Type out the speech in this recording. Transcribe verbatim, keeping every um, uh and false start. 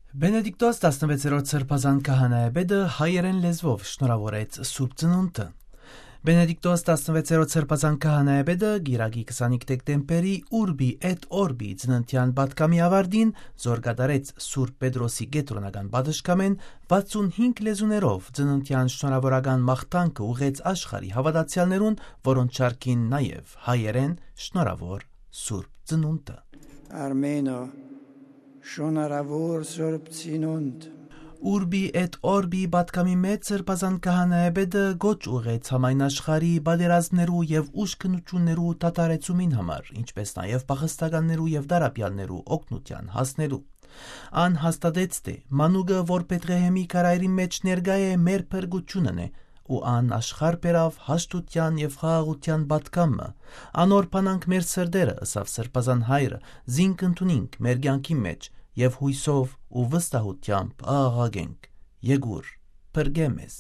Բենեդիկտոս տասնվեցերորդ սրբազան քահանայապետը հայերէն լեզուով շնորհաւորեց Սուրբ Ծնունդը։ Բենեդիկտոս տասնվեցերորդ սրբազան քահանայապետը կիրակի քսանհինգ դեկտեմբերի Urbi et Orbi ծննդեան պատգամի աւարտին, զոր կատարեց Սուրբ Պետրոսի կեդրոնական պատշգամէն, վաթսուն հինգ լեզուներով ծննդեան շնորհաւորական մաղթանքը ուղղեց աշխարհի հաւատացեալներուն, որոնց շարքին նաեւ հայերէն շնորհաւոր Սուրբ Ծնունդը։ Արմենը, շնորհաւոր Սուրբ Ծնունդ։ Urbi et Orbi պատգամի մէջ սրբազան քահանայապետը կոչ ուղղեց համայն աշխարհի պատերազմներու եւ ուշքնութիւններու դադարեցումին համար, ինչպէս նաեւ փախստականներու եւ տառապեալներու օգնութեան հասնելու։ Ան հաստատեց, թէ մանուկը, որ Բեթղեհեմի քարայրին մէջ ներկայ է, մեր փրկութիւնն է, ու ան աշխարհ բերաւ հաշտութեան եւ խաղաղութեան պատգամը։ Անոր բանանք մեր սրտերը, ըսաւ սրբազան հայրը, զինք ընդունինք մեր կեանքին մէջ եւ յոյսով ու վստահութեամբ աղաղակենք. «Եկուր, փրկէ մեզ»։